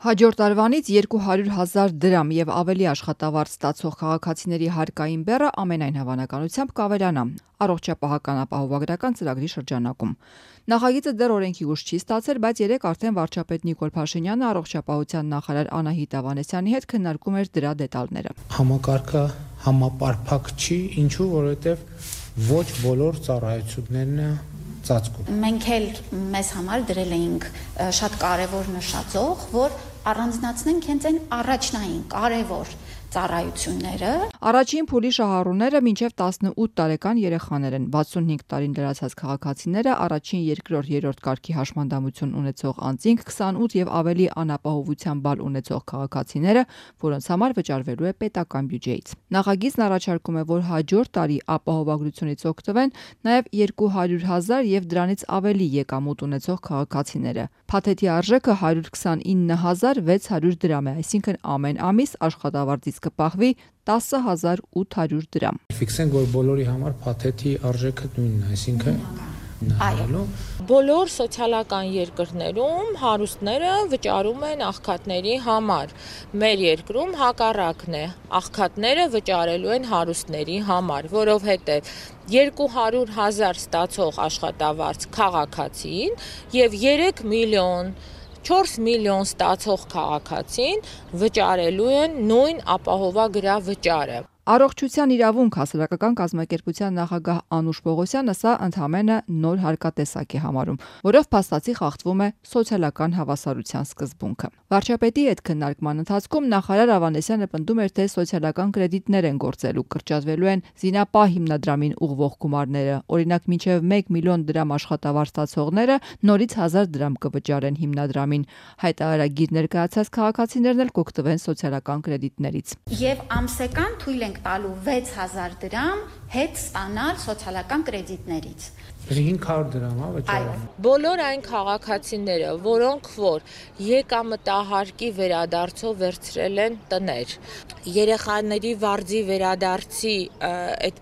Հաջորդ տարվանից 200,000 դրամ եւ ավելի աշխատավարձ ստացող քաղաքացիների հարկային բեռը ամենայն հավանականությամբ կավելանա առողջապահական ապահովագրական ծրագրի շրջանակում։ Նախագիծը դեռ օրենքի ուժ չի ստացել, բայց երեկ արդեն վարչապետ Նիկոլ Փաշինյանը առողջապահության նախարար Անահիտ Ավանեսյանի հետ քննարկում էր դրա դետալները։ Համակարգը համապարփակ չի, ինչու, որովհետեւ ոչ բոլոր ծառայություններն ծածկում։ Մենք էլ մեզ համար դրել էինք շատ կարևոր նշաձող, որ առանձնացնենք հենց այն առաջնային կարևոր ծառայությունները։ Առաջին փուլի շահառուները մինչև 18 տարեկան երեխաներ են, 65 տարին լրացած քաղաքացիները, առաջին, երկրորդ, երրորդ կարգի հաշմանդամություն ունեցող անձինք, 28 եւ ավելի անապահովության բալ ունեցող քաղաքացիները, որոնց համար վճարվելու է պետական բյուջեից։ Նախագիծն առաջարկում է, որ հաջորդ տարի ապահովագրությունից օգտվեն նաեւ 200,000 եւ դրանից ավելի եկամուտ ունեցող քաղաքացիները։ Փաթեթի արժեքը 129,600 դրամ է, այսինքն ամեն ամիս աշխատավարձից կպահվի 10,800 դրամ։ Ֆիքսենք, որ բոլորի համար փաթեթի արժեքը նույնն է, այսինքն բոլոր սոցիալական երկրներում հարուստները վճարում են աղքատների համար։ Մեր երկրում հակառակն է, աղքատները վճարելու են հարուստների համար, որովհետև 200,000 ստացող աշխատավարձ քաղաքացին եւ 3 միլիոն 4 միլիոն ստացող քաղաքացին վճարելու են նույն ապահովագրավճարը։ Առողջության իրավունք հասարակական կազմակերպության նախագահ Անուշ Պողոսյանը սա ընդհանրապես նոր հարկատեսակ է համարում, որով փաստացի խախտվում է սոցիալական հավասարության սկզբունքը։ Վարչապետի հետ քննարկման ընթացքում նախարար Ավանեսյանը պնդում էր, թե սոցիալական կրեդիտներ են գործելու, կրճատվելու են զինապահ հիմնադրամին ուղղվող գումարները, օրինակ մինչև 1 միլիոն դրամ աշխատավարձ ստացողները նորից 1000 դրամ կվճարեն հիմնադրամին, հայտարարագիր ներկայացած քաղաքացիներն էլ կօգտվեն սոցիալական կրեդիտներից։ Եվ ամսական թույլ ենք տալու 6,000 դրամ հետ ստանալ սոցիալական կրեդիտներից։ 500 դրամ վճարում։ Բոլոր այն քաղաքացիները, որոնք որ եկամտահարկի վերադարձով վերցրել են տներ, երեխաների վարձի վերադարձի այդ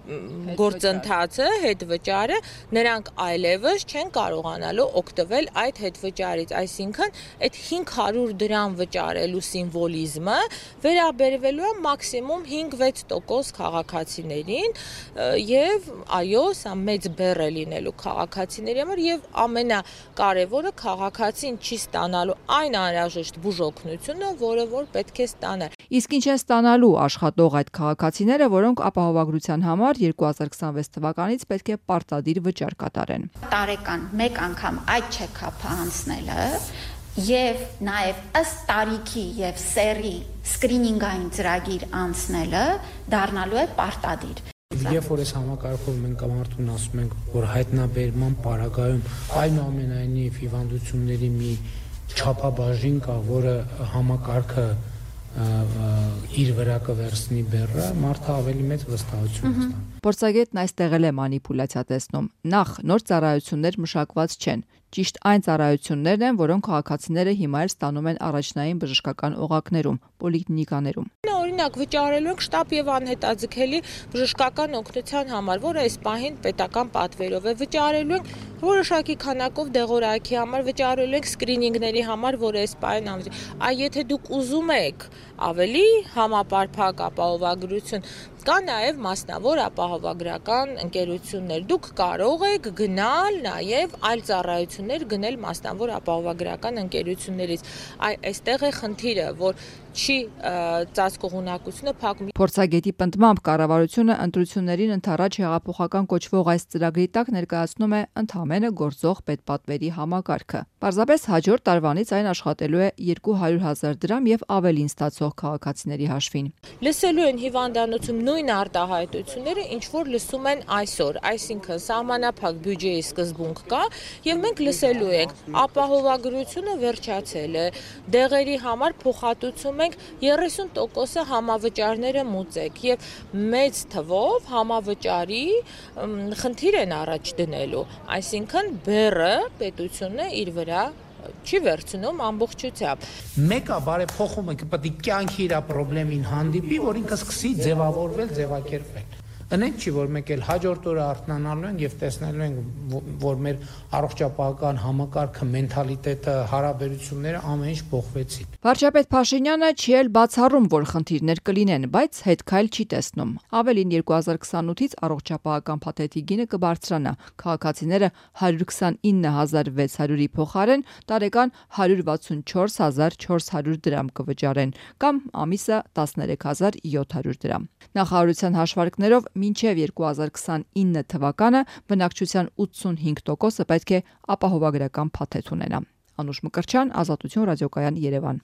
գործընթացը հետ վճարը, նրանք այլևս չեն կարողանալու օգտվել այդ հետ վճարից, այսինքն այդ 500 դրամ վճարելու սիմվոլիզմը վերաբերվելու է մաքսիմում 5-6% քաղաքացիներին եւ այո, սա մեծ բեռ է լինելու քաղաքացիների համար եւ ամենակարևորը քաղաքացին չի ստանալու այն անհրաժեշտ բուժօգնությունը, որը որ պետք է ստանա։ Իսկ ինչ են ստանալու աշխատող այդ քաղաքացիները, որոնք ապահովագրության համար 2026 թվականից պետք է պարտադիր վճար կատարեն։ Տարեկան մեկ անգամ այդ չեքափը անցնելը եւ նաեւ ըստ տարիքի եւ սեռի սկրինինգային ծրագիր անցնելը դառնալու է պարտադիր։ Երբ որ այս համակարգով մենք մարդուն ասում ենք, որ հայտնաբերման պարագայում այնուամենայնիվ հիվանդությունների մի չափաբաժին կա, որը համակարգը իր վրա կվերցնի բեռը, մարդը ավելի մեծ վստահություն կստանա։ Փորձագետն այստեղ էլ է մանիպուլյացիա տեսնում։ Նախ նոր ծառայություններ մշակված չեն։ Ճիշտ այն ծառայություններն են, որոնք քաղաքացիները հիմա էլ ստանում են առաջնային բժշկական օղակներում, պոլիկլինիկաներում։ Օրինակ վճարելու ենք շտապ եւ անհետաձգելի բժշկական օգնության համար, որը այս պահին պետական պատվերով է, վճարելու ենք որոշակի քանակով դեղորայքի համար, վճարելու ենք սկրինինգների համար, որը այս պահին այ եթե դուք ուզում եք ավելի համապարփակ ապահովագրություն, կա նաև մասնավոր ապահովագրական ընկերություններ։ Դուք կարող եք գնալ նաև այլ ծառայություններ գնել մասնավոր ապահովագրական ընկերություններից։ Այստեղ է խնդիրը, որ չի ծածկողունակությունը փակում։ Փորձագետի պնդմամբ կառավարությունը ընտրություններին ընդառաջ հեղափոխական կոչվող այս ծրագրի տակ ներկայացնում է ընդհանրապես գործող պետպատվերի համակարգը։ Պարզապես հաջորդ տարվանից այն աշխատելու է 200,000 դրամ եւ ավելին ստացող քաղաքացիների հաշվին։ Լսելու են հիվանդանոցում նույն արտահայտությունները, ինչ որ լսում են այսօր, այսինքն սահմանափակ բյուջեի սկզբունք կա եւ մենք լսելու ենք ապահովագրությունը վերջացել է, դեղերի համար փոխհատուցում ենք 30%-ը համավճարները մուծեք եւ մեծ թվով համավճարի խնդիր են առաջ դնելու, այսինքն բեռը պետությունը իր վրա չի վերցնում ամբողջությամբ։ Մեկը բարեփոխումը պետք է կյանքի իր խնդրին հանդիպի, որ ինքը սկսի ձևավորվել, ձևակերպվել։ Տնենք չի, որ մեկ էլ հաջորդ օրը արթնանալու ենք եւ տեսնելու ենք, որ մեր առողջապահական համակարգը, մենթալիտետը, հարաբերությունները ամեն ինչ փոխվեցին։ Վարչապետ Փաշինյանը չի էլ բացառում, որ խնդիրներ կլինեն, բայց հետքայլ չի տեսնում։ Ավելին 2028-ից առողջապահական փաթեթի գինը կբարձրանա։ Քաղաքացիները 129,600-ի փոխարեն տարեկան 164,400 դրամ կվճարեն կամ ամիսը 13,700 դրամ։ Նախարարության հաշվարկներով մինչև 2029 թվականը բնակչության 85%-ը պետք է ապահովագրական փաթեթ ունենա։ Անուշ Մկրտչյան, Ազատություն ռադիոկայան, Երևան։